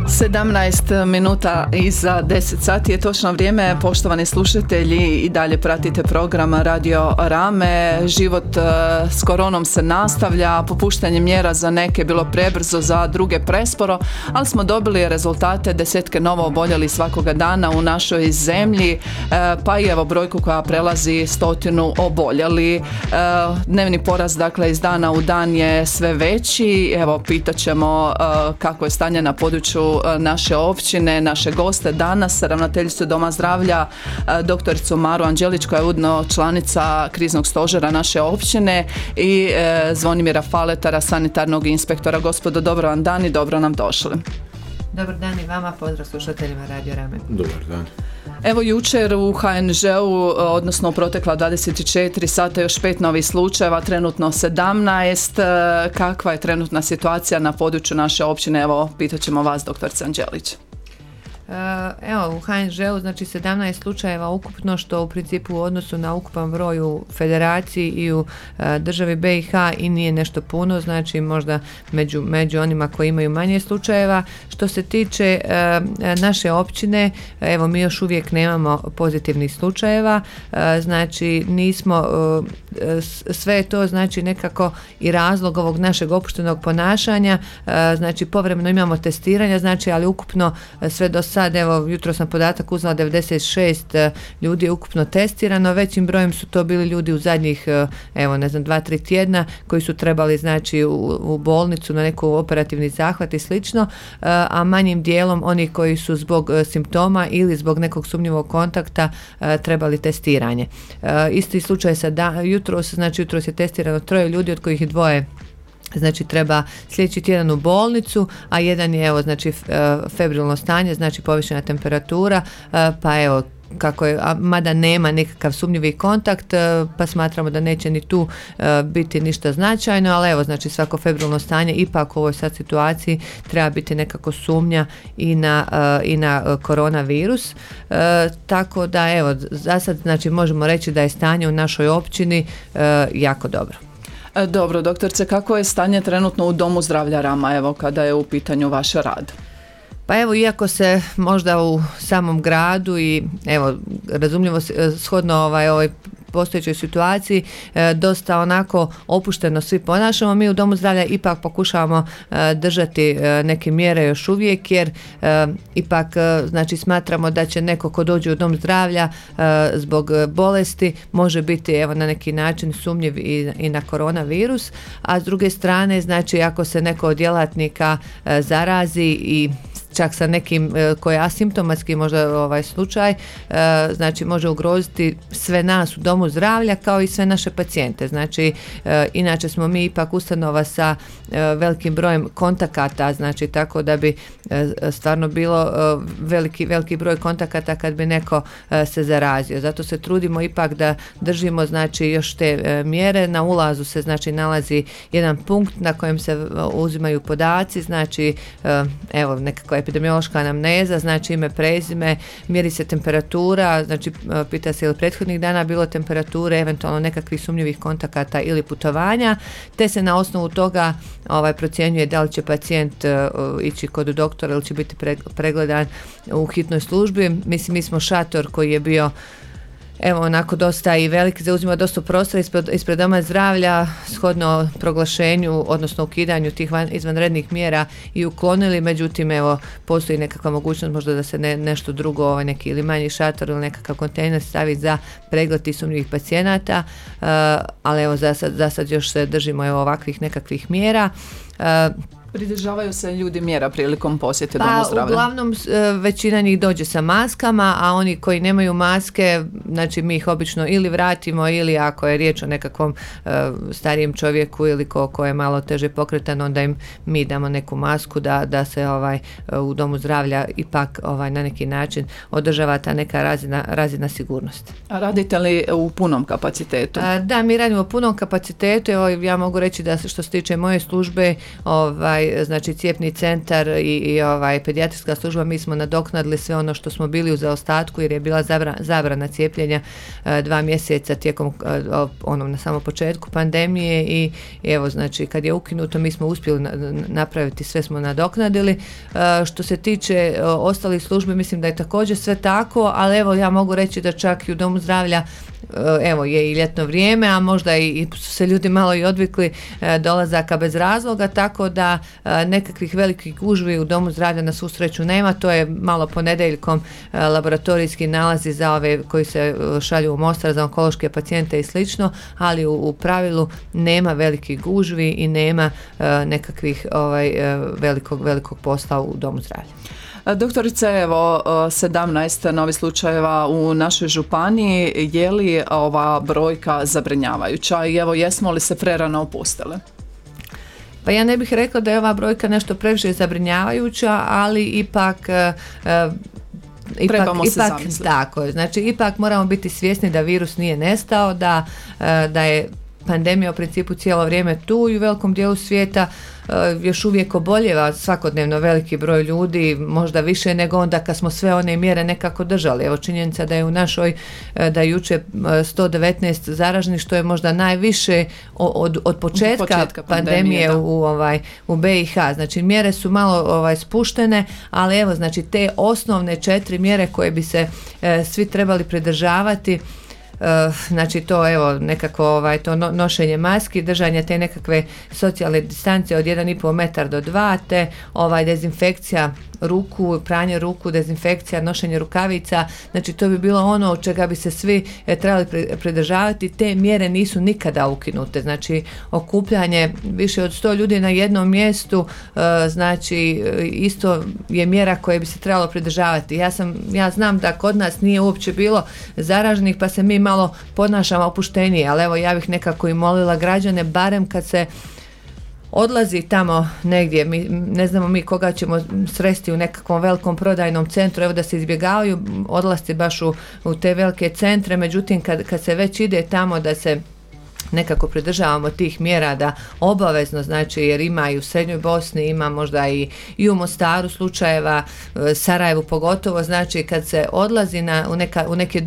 17 minuta iza 10 sati je točno vrijeme. Poštovani slušatelji, i dalje pratite program Radio Rame. Život s koronom se nastavlja, popuštanje mjera za neke bilo prebrzo, za druge presporo, ali smo dobili rezultate, desetke novo oboljelih svakoga dana u našoj zemlji, pa i evo brojku koja prelazi 100 oboljeli. Dnevni porast, dakle, iz dana u dan je sve veći. Evo, pitat ćemo kako je stanje na području naše općine, naše goste danas, ravnateljicu Doma zdravlja, doktoricu Maru Anđelić, koja je ujedno članica kriznog stožera naše općine, i Zvonimira Faletara, sanitarnog inspektora. Gospodo, dobro vam dan i dobro nam došli. Dobar dan i vama, pozdrav slušateljima Radio Rame. Dobar dan. Evo, jučer u HNŽ-u, odnosno u protekla 24 sata, još 5 novih slučajeva, trenutno 17. Kakva je trenutna situacija na području naše općine? Evo, pitat ćemo vas, doktorica Anđelić. Evo, u HNŽ-u znači 17 slučajeva ukupno, što u principu u odnosu na ukupan broj u federaciji i u državi BiH i nije nešto puno, znači možda među onima koji imaju manje slučajeva. Što se tiče naše općine, evo, mi još uvijek nemamo pozitivnih slučajeva, znači nismo, sve je to znači nekako i razlog ovog našeg opuštenog ponašanja, znači povremeno imamo testiranja, znači, ali ukupno sve do sad, evo, jutro sam podatak uzela, 96 ljudi je ukupno testirano, većim brojem su to bili ljudi u zadnjih, evo, ne znam, 2-3 tjedna koji su trebali, znači, u bolnicu na neku operativni zahvat i slično, a manjim dijelom oni koji su zbog simptoma ili zbog nekog sumnjivog kontakta trebali testiranje. Isti slučaj jutros je testirano 3 ljudi, od kojih je 2 znači treba sljedeći tjedan u bolnicu, a jedan je, evo, znači febrilno stanje, znači povišena temperatura, pa evo, kako je, mada nema nekakav sumnjivi kontakt, pa smatramo da neće ni tu biti ništa značajno, ali evo, znači svako febrilno stanje ipak u ovoj sad situaciji treba biti nekako sumnja i na koronavirus, tako da, evo, za sad, znači možemo reći da je stanje u našoj općini jako dobro. Dobro, doktorce, kako je stanje trenutno u Domu zdravlja Rama, evo, kada je u pitanju vaš rad? Pa evo, iako se možda u samom gradu i, evo, razumljivo shodno ovoj postojećoj situaciji dosta onako opušteno svi ponašamo, mi u Domu zdravlja ipak pokušavamo držati neke mjere još uvijek, jer ipak, znači, smatramo da će neko ko dođe u Dom zdravlja zbog bolesti može biti, evo, na neki način sumnjiv i na koronavirus, a s druge strane, znači, ako se neko od djelatnika zarazi i čak sa nekim koji je asimptomatski možda slučaj, znači može ugroziti sve nas u Domu zdravlja kao i sve naše pacijente. Znači, inače smo mi ipak ustanova sa velikim brojem kontakata, znači tako da bi stvarno bilo veliki broj kontakata kad bi neko se zarazio. Zato se trudimo ipak da držimo, znači, još te mjere. Na ulazu se, znači, nalazi jedan punkt na kojem se uzimaju podaci, znači, evo, nekakva epidemiološka anamneza, znači ime, prezime, mjeri se temperatura, znači pita se je li prethodnih dana bilo temperature, eventualno nekakvih sumnjivih kontakata ili putovanja, te se na osnovu toga procjenjuje da li će pacijent ići kod doktora ili će biti pregledan u hitnoj službi. Mislim, mi smo šator koji je bio, evo, onako dosta i veliki, zauzima dosta prostora ispred Doma zdravlja, shodno proglašenju, odnosno ukidanju tih izvanrednih mjera, i uklonili, međutim, evo, postoji nekakva mogućnost možda da se nešto drugo, neki ili manji šator ili nekakav kontejner stavi za pregled tih sumnjivih pacijenata, ali evo, za sad još se držimo, evo, ovakvih nekakvih mjera. Pridržavaju se ljudi mjera prilikom posjete Domu zdravlja? Pa uglavnom većina njih dođe sa maskama, a oni koji nemaju maske, znači mi ih obično ili vratimo, ili ako je riječ o nekakvom starijem čovjeku ili ko je malo teže pokretan, onda im mi damo neku masku da se u Domu zdravlja ipak na neki način održava ta neka razina sigurnosti. A radite li u punom kapacitetu? Da, mi radimo u punom kapacitetu. Evo, ja mogu reći da što se tiče moje službe, znači cijepni centar i pedijatrijska služba, mi smo nadoknadili sve ono što smo bili u zaostatku jer je bila zabrana cijepljenja 2 mjeseca tijekom na samom početku pandemije i evo znači kad je ukinuto mi smo uspjeli napraviti, sve smo nadoknadili. Što se tiče ostalih službi, mislim da je također sve tako, ali evo ja mogu reći da čak i u domu zdravlja evo je i ljetno vrijeme, a možda i su se ljudi malo i odvikli dolazaka bez razloga, tako da nekakvih velikih gužvi u domu zdravlja na svu sreću nema. To je malo ponedjeljkom laboratorijski nalazi za ove koji se šalju u Mostar za onkološke pacijente i slično, ali u pravilu nema velikih gužvi i nema nekakvih velikog posla u domu zdravlja. Doktorice, evo 17 novih slučajeva u našoj županiji, je li ova brojka zabrinjavajuća i evo jesmo li se prerano opustili? Pa ja ne bih rekla da je ova brojka nešto previše zabrinjavajuća, ali ipak trebamo se zamisliti. Tako, znači ipak moramo biti svjesni da virus nije nestao, da je pandemija u principu cijelo vrijeme tu i u velikom dijelu svijeta još uvijek oboljeva svakodnevno veliki broj ljudi, možda više nego onda kad smo sve one mjere nekako držali. Evo činjenica da je u našoj, da je jučer 119 zaraženih, što je možda najviše od početka pandemije u BiH. Znači mjere su malo spuštene, ali evo znači te osnovne 4 mjere koje bi se svi trebali pridržavati, znači to evo nekako to nošenje maski, držanje te nekakve socijalne distance od 1,5 metar do 2, te dezinfekcija ruku, pranje ruku, dezinfekcija, nošenje rukavica, znači to bi bilo ono od čega bi se svi trebali pridržavati. Te mjere nisu nikada ukinute, znači okupljanje više od 100 ljudi na jednom mjestu, znači isto je mjera koje bi se trebalo pridržavati. Ja znam da kod nas nije uopće bilo zaraženih pa se mi malo ponašamo opuštenije, ali evo ja bih nekako i molila građane, barem kad se odlazi tamo negdje, ne znamo mi koga ćemo sresti u nekakvom velikom prodajnom centru, evo da se izbjegavaju odlasci baš u te velike centre, međutim kad se već ide tamo da se nekako pridržavamo tih mjera, da obavezno, znači jer ima i u Srednjoj Bosni, ima možda i u Mostaru slučajeva, Sarajevu pogotovo, znači kad se odlazi u neke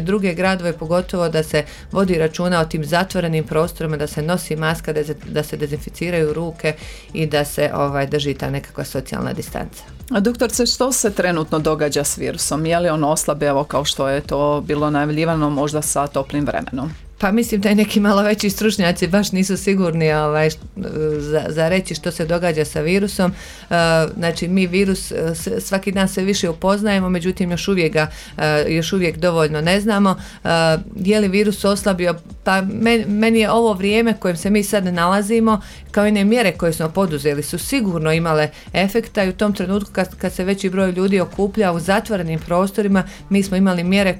druge gradove, pogotovo da se vodi računa o tim zatvorenim prostorima, da se nosi maska, da se dezinficiraju ruke i da se drži ta nekakva socijalna distanca. Doktorce, što se trenutno događa s virusom? Je li on oslabio kao što je to bilo najavljivano možda sa toplim vremenom? Pa mislim da i neki malo veći stručnjaci baš nisu sigurni za reći što se događa sa virusom. Znači mi virus svaki dan sve više upoznajemo, međutim još uvijek dovoljno ne znamo. Je li virus oslabio? Pa meni je ovo vrijeme kojem se mi sad nalazimo, kao i ne mjere koje smo poduzeli, su sigurno imale efekta i u tom trenutku kad se veći broj ljudi okuplja u zatvorenim prostorima, mi smo imali mjere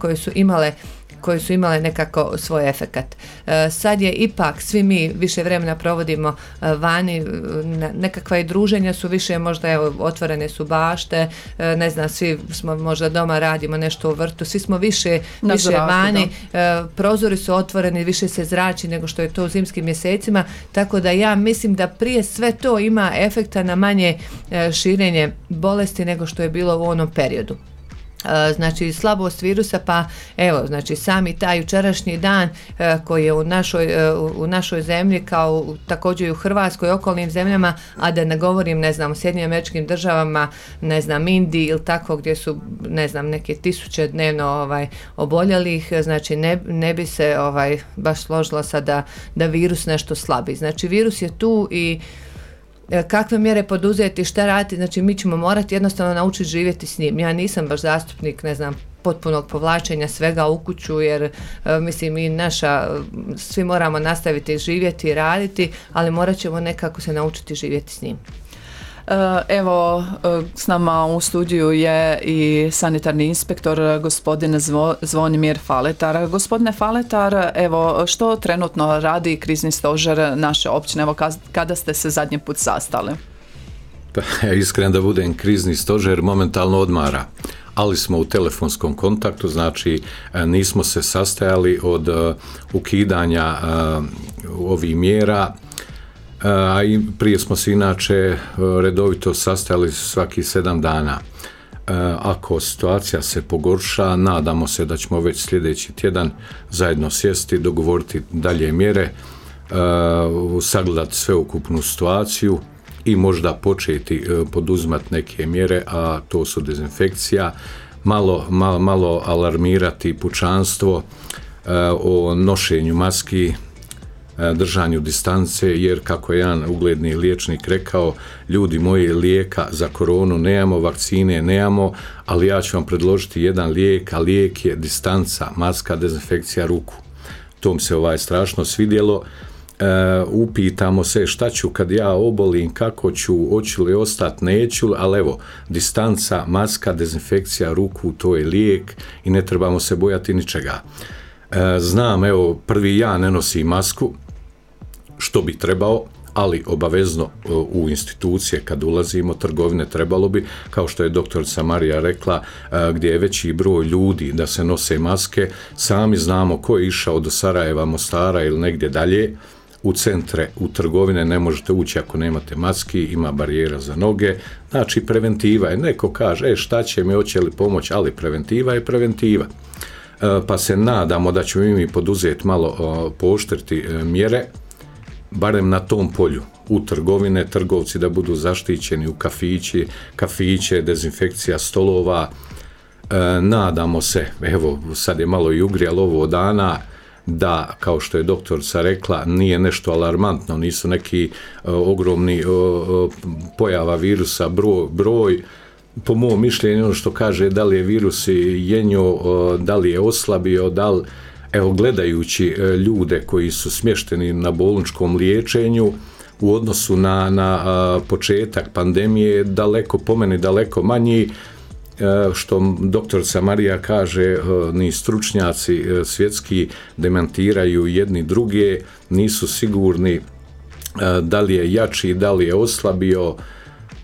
koje su imale nekako svoj efekat. Sad je ipak, svi mi više vremena provodimo vani, nekakva i druženja su više, možda otvorene su bašte, ne znam, svi smo možda doma radimo nešto u vrtu, svi smo više vani, prozori su otvoreni, više se zrači nego što je to u zimskim mjesecima, tako da ja mislim da prije sve to ima efekta na manje širenje bolesti nego što je bilo u onom periodu. Znači slabost virusa, pa evo, znači sami taj jučerašnji dan koji je u našoj zemlji, kao također i u Hrvatskoj i okolnim zemljama, a da ne govorim, ne znam, u Sjedinjenim Američkim Državama, ne znam, Indiji ili tako, gdje su, ne znam, neke tisuće dnevno oboljelih, znači ne bi se baš složila sad da virus nešto slabi. Znači virus je tu i kakve mjere poduzeti, šta raditi, znači mi ćemo morati jednostavno naučiti živjeti s njim. Ja nisam baš zastupnik, ne znam, potpunog povlačenja svega u kuću, jer mislim i svi moramo nastaviti živjeti i raditi, ali morat ćemo nekako se naučiti živjeti s njim. Evo, s nama u studiju je i sanitarni inspektor gospodin Zvonimir Faletar. Gospodine Faletar, evo, što trenutno radi krizni stožer naše općine? Evo, kada ste se zadnji put sastali? Pa, iskreno da budem, krizni stožer momentalno odmara, ali smo u telefonskom kontaktu, znači nismo se sastajali od ukidanja ovih mjera. a i prije smo se inače redovito sastajali svaki 7 dana. Ako situacija se pogorša, nadamo se da ćemo već sljedeći tjedan zajedno sjesti, dogovoriti dalje mjere, sagledati sveukupnu situaciju i možda početi poduzimati neke mjere, a to su dezinfekcija, malo alarmirati pučanstvo o nošenju maski, držanju distance, jer kako je jedan ugledni liječnik rekao, ljudi moji, lijeka za koronu nemamo, vakcine nemamo, ali ja ću vam predložiti jedan lijek, a lijek je distanca, maska, dezinfekcija ruku. To mi se strašno svidjelo. Upitamo se šta ću kad ja obolim, kako ću, hoću li ostati, neću, ali evo, distanca, maska, dezinfekcija ruku, to je lijek i ne trebamo se bojati ničega. Znam, evo, prvi ja ne nosim masku, što bi trebao, ali obavezno u institucije kad ulazimo, trgovine, trebalo bi, kao što je doktorica Marija rekla, gdje je veći broj ljudi da se nose maske, sami znamo ko je išao do Sarajeva, Mostara ili negdje dalje, u centre, u trgovine ne možete ući ako nemate maski, ima barijera za noge, znači preventiva je, neko kaže, šta će mi, hoće li pomoć, ali preventiva je preventiva. Pa se nadamo da ćemo mi poduzeti malo pooštriti mjere, barem na tom polju, u trgovine, trgovci da budu zaštićeni, u kafiće, dezinfekcija stolova. Nadamo se, evo sad je malo i ugrijalo ovo dana, da, kao što je doktorica rekla, nije nešto alarmantno, nisu neki ogromni pojava virusa, broj, po mom mišljenju, ono što kaže da li je virus jenjo, da li je oslabio, evo, gledajući ljude koji su smješteni na bolničkom liječenju u odnosu na početak pandemije, po meni daleko manji, što doktorica Marija kaže, ni stručnjaci svjetski demantiraju jedni druge, nisu sigurni da li je jači, da li je oslabio.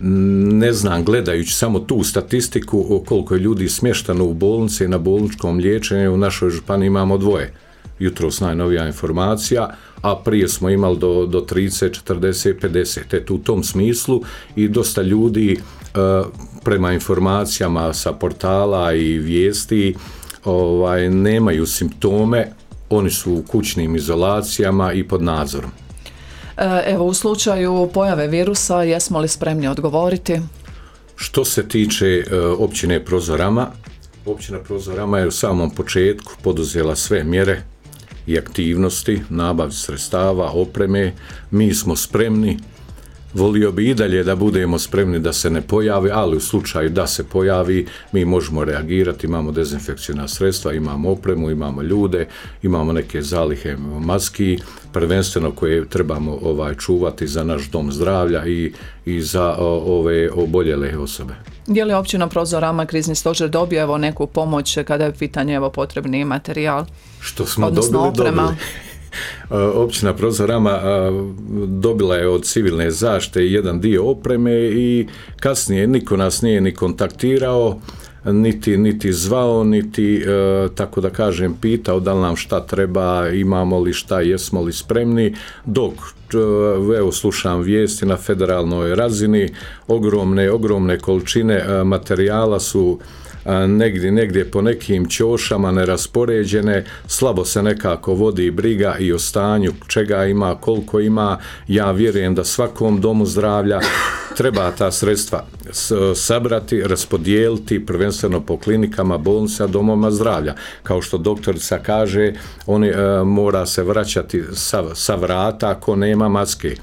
Ne znam, gledajući samo tu statistiku koliko je ljudi smješteno u bolnici i na bolničkom liječenju, u našoj županiji imamo 2. Jutros najnovija informacija, a prije smo imali do 30, 40, 50. U tom smislu i dosta ljudi prema informacijama sa portala i vijesti nemaju simptome, oni su u kućnim izolacijama i pod nadzorom. Evo, u slučaju pojave virusa, jesmo li spremni odgovoriti? Što se tiče općine Prozorama, općina Prozorama je u samom početku poduzela sve mjere i aktivnosti, nabavi sredstava, opreme. Mi smo spremni, volio bi i dalje da budemo spremni da se ne pojavi, ali u slučaju da se pojavi, mi možemo reagirati, imamo dezinfekcijna sredstva, imamo opremu, imamo ljude, imamo neke zalihe maski, prvenstveno koje trebamo čuvati za naš dom zdravlja i za ove oboljele osobe. Je li općina Prozorama, krizni stožer dobio neku pomoć kada je pitanje potrebni materijal? Što smo dobili. Općina Prozorama dobila je od civilne zaštite jedan dio opreme i kasnije niko nas nije ni kontaktirao, niti zvao, niti, tako da kažem, pitao da li nam šta treba, imamo li šta, jesmo li spremni, dok evo slušam vijesti na federalnoj razini, ogromne količine materijala su negdje po nekim ćošama neraspoređene, slabo se nekako vodi briga i o stanju čega ima, koliko ima. Ja vjerujem da svakom domu zdravlja treba ta sredstva sabrati, raspodijeliti, prvenstveno po klinikama, bolnicama, domovima zdravlja. Kao što doktorica kaže, oni mora se vraćati sa vrata ako nema maske.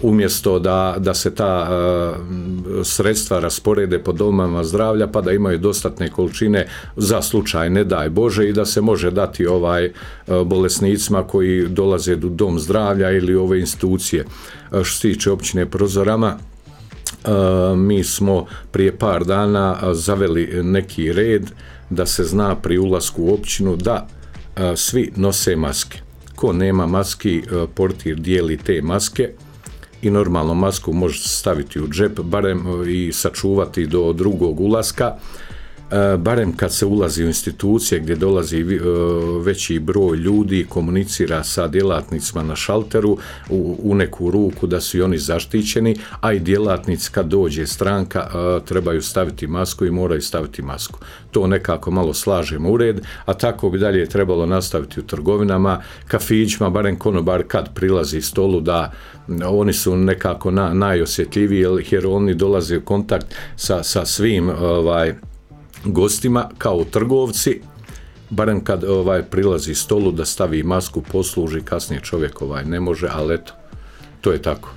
Umjesto da se ta sredstva rasporede po domovima zdravlja pa da imaju dostatne količine za slučaj ne daj Bože i da se može dati bolesnicima koji dolaze do dom zdravlja ili ove institucije. Što se tiče općine Prozorama, mi smo prije par dana zaveli neki red da se zna pri ulasku u općinu da svi nose maske. Ko nema maski, portir dijeli te maske i normalno masku može staviti u džep, barem i sačuvati do drugog ulaska. barem kad se ulazi u institucije gdje dolazi veći broj ljudi, komunicira sa djelatnicima na šalteru u neku ruku da su i oni zaštićeni, a i djelatnici kad dođe stranka trebaju staviti masku i moraju staviti masku. To nekako malo slažemo u red, a tako bi dalje trebalo nastaviti u trgovinama, kafićima, barem konobar kad prilazi stolu da oni su nekako najosjetljiviji jer oni dolaze u kontakt sa svim gostima kao trgovci, barem kad prilazi stolu da stavi masku, posluži, kasnije čovjek ne može, ali eto, to je tako.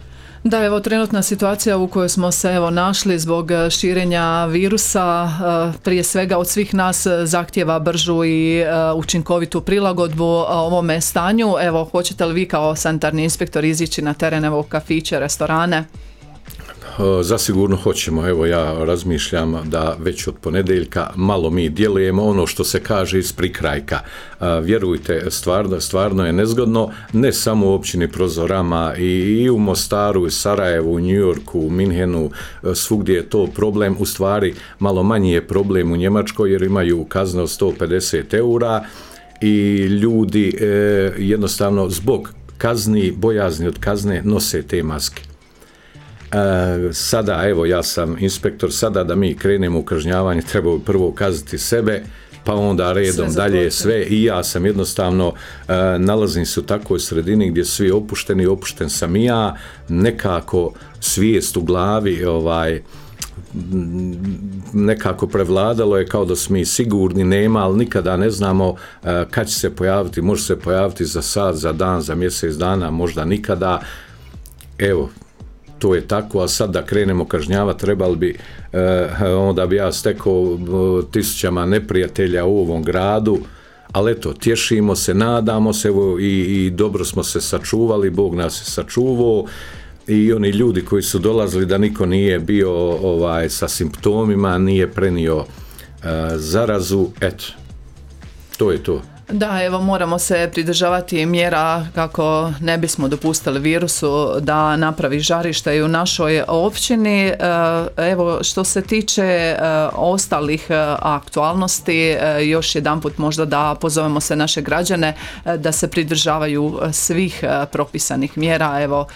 Da, evo trenutna situacija u kojoj smo se našli zbog širenja virusa prije svega od svih nas zahtijeva bržu i učinkovitu prilagodbu ovome stanju. Evo, hoćete li vi kao sanitarni inspektor izići na teren, evo, kafiće, restorane? Zasigurno hoćemo, evo ja razmišljam da već od ponedjeljka malo mi djelujemo ono što se kaže iz prikrajka. Vjerujte, stvarno je nezgodno, ne samo u općini Prozorama, i u Mostaru, i Sarajevu, u New Yorku, u Minhenu, svugdje je to problem, u stvari malo manji je problem u Njemačkoj jer imaju kazne od 150 eura i ljudi jednostavno zbog kazni, bojazni od kazne nose te maske. Sada, evo ja sam inspektor, sada da mi krenemo u kažnjavanje treba prvo kazati sebe, pa onda redom dalje sve i ja sam jednostavno nalazim se u takvoj sredini gdje svi opušteni, opušten sam i ja, nekako svijest u glavi nekako prevladalo je kao da smo mi sigurni, nema, ali nikada ne znamo kad će se pojaviti, može se pojaviti za sat, za dan, za mjesec dana, možda nikada. Evo, to je tako, a sad da krenemo kažnjavati trebali bi, onda bi ja stekao tisućama neprijatelja u ovom gradu, ali eto, tješimo se, nadamo se, evo, i dobro smo se sačuvali, Bog nas je sačuvao, i oni ljudi koji su dolazili da niko nije bio sa simptomima, nije prenio zarazu, eto, to je to. Da, evo moramo se pridržavati mjera kako ne bismo dopustili virusu da napravi žarište i u našoj općini. Evo, što se tiče ostalih aktualnosti, još jedanput možda da pozovemo se naše građane da se pridržavaju svih propisanih mjera, evo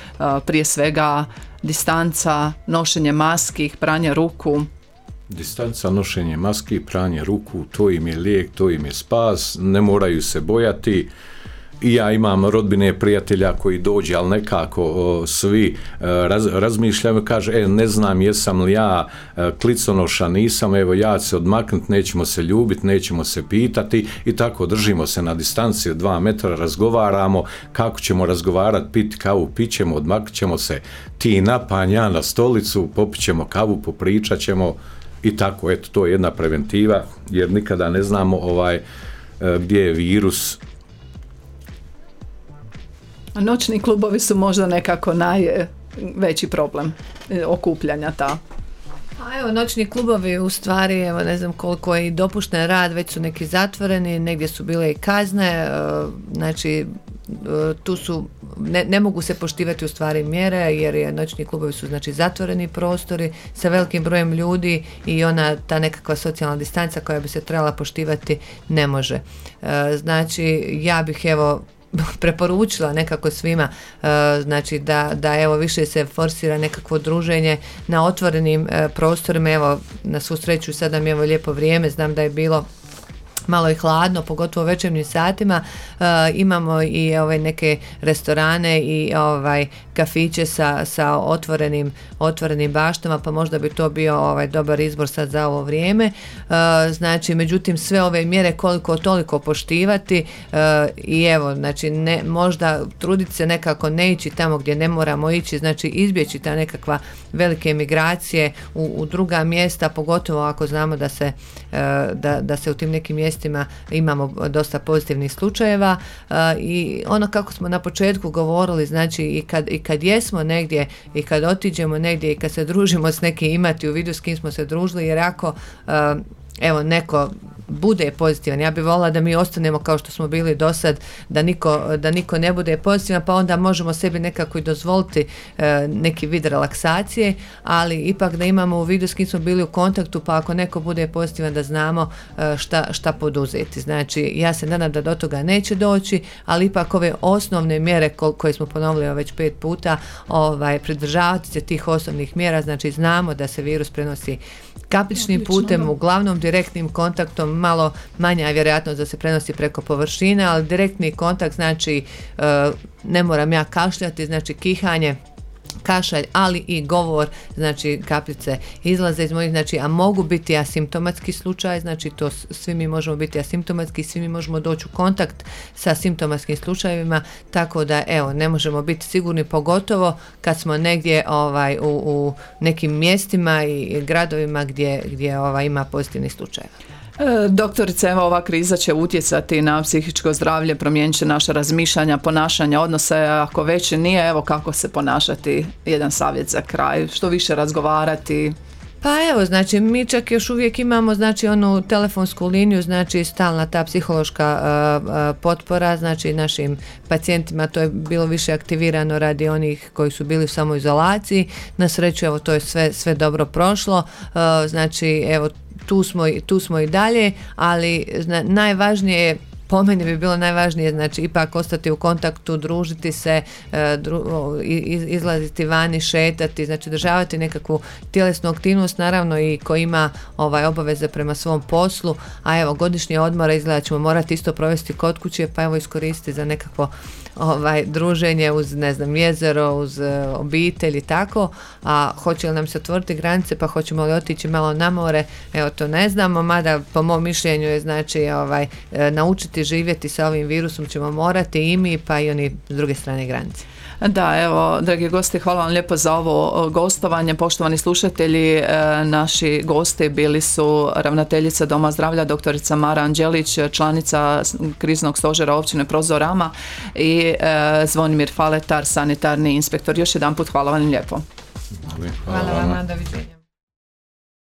prije svega distanca, nošenje maski, pranje ruku. Distanca, nošenje maski, pranje ruku, to im je lijek, to im je spas, ne moraju se bojati. I ja imam rodbine, prijatelja koji dođe, ali nekako svi razmišljaju, kaže, ne znam jesam li ja kliconoša, nisam, evo ja ću se odmaknuti, nećemo se ljubiti, nećemo se pitati i tako držimo se na distanci od 2 metra, razgovaramo, kako ćemo razgovarati, piti kavu, pićemo, odmaknut ćemo se, ti napanj, ja na stolicu, popit ćemo kavu, popričat ćemo i tako, eto, to je jedna preventiva, jer nikada ne znamo gdje je virus. Noćni klubovi su možda nekako najveći problem okupljanja ta. A evo, noćni klubovi u stvari, evo ne znam koliko je i dopušten rad, već su neki zatvoreni, negdje su bile i kazne, znači tu su, ne mogu se poštivati u stvari mjere jer noćni klubovi su znači zatvoreni prostori sa velikim brojem ljudi i ta nekakva socijalna distanca koja bi se trebala poštivati ne može. Znači ja bih evo preporučila nekako svima, znači da evo više se forsira nekakvo druženje na otvorenim prostorima. Evo, na svu sreću sad nam je evo lijepo vrijeme, znam da je bilo malo i hladno, pogotovo u večernjim satima. Imamo i neke restorane i kafiće sa otvorenim baštama, pa možda bi to bio dobar izbor sad za ovo vrijeme. Znači, međutim, sve ove mjere koliko toliko poštivati i evo, znači, možda truditi se nekako ne ići tamo gdje ne moramo ići, znači izbjeći ta nekakva velike migracije u druga mjesta, pogotovo ako znamo da se u tim nekim mjestima imamo dosta pozitivnih slučajeva i ono kako smo na početku govorili, znači i kad jesmo negdje i kad otiđemo negdje i kad se družimo s nekim, imati u vidu s kim smo se družili, jer ako evo neko bude pozitivan. Ja bih voljela da mi ostanemo kao što smo bili do sad, da niko ne bude pozitivan, pa onda možemo sebi nekako i dozvoliti neki vid relaksacije, ali ipak da imamo u vidu s kim smo bili u kontaktu, pa ako neko bude pozitivan da znamo šta poduzeti. Znači, ja se nadam da do toga neće doći, ali ipak ove osnovne mjere koje smo ponovili već 5 puta, pridržavati se tih osnovnih mjera, znači znamo da se virus prenosi kapličnim putem, uglavnom direktnim kontaktom, malo manja je vjerojatnost da se prenosi preko površine, ali direktni kontakt znači ne moram ja kašljati, znači kihanje, kašalj, ali i govor, znači kapljice izlaze iz mojih, znači, a mogu biti asimptomatski slučaj, znači to svi mi možemo biti asimptomatski, svi mi možemo doći u kontakt sa simptomatskim slučajevima, tako da evo, ne možemo biti sigurni, pogotovo kad smo negdje u nekim mjestima i gradovima gdje ima pozitivnih slučajeva. Doktorice, evo ova kriza će utjecati na psihičko zdravlje, promijenit će naša razmišljanja, ponašanja, odnose, ako već nije, evo kako se ponašati, jedan savjet za kraj, što više razgovarati. Pa evo, znači mi čak još uvijek imamo znači onu telefonsku liniju, znači stalna ta psihološka potpora, znači našim pacijentima, to je bilo više aktivirano radi onih koji su bili u samoizolaciji. Na sreću, evo, to je sve dobro prošlo, znači evo, tu smo i dalje, ali najvažnije je, po meni bi bilo najvažnije, znači ipak ostati u kontaktu, družiti se, izlaziti vani, šetati, znači državati nekakvu tjelesnu aktivnost, naravno i ko ima obaveze prema svom poslu, a evo godišnje odmore izgleda ćemo morati isto provesti kod kuće, pa evo iskoristiti za nekakvo druženje uz, ne znam, jezero, uz obitelj i tako, a hoće li nam se otvoriti granice, pa hoćemo li otići malo na more, evo to ne znamo, mada po mom mišljenju je znači naučiti živjeti sa ovim virusom ćemo morati i mi, pa i oni s druge strane granice. Da, evo, dragi gosti, hvala vam lijepo za ovo gostovanje. Poštovani slušatelji, naši gosti bili su ravnateljica Doma zdravlja doktorica Mara Anđelić, članica kriznog stožera općine Prozorama i Zvonimir Faletar, sanitarni inspektor. Još jedanput hvala vam lijepo. Hvala vam, doviđenja.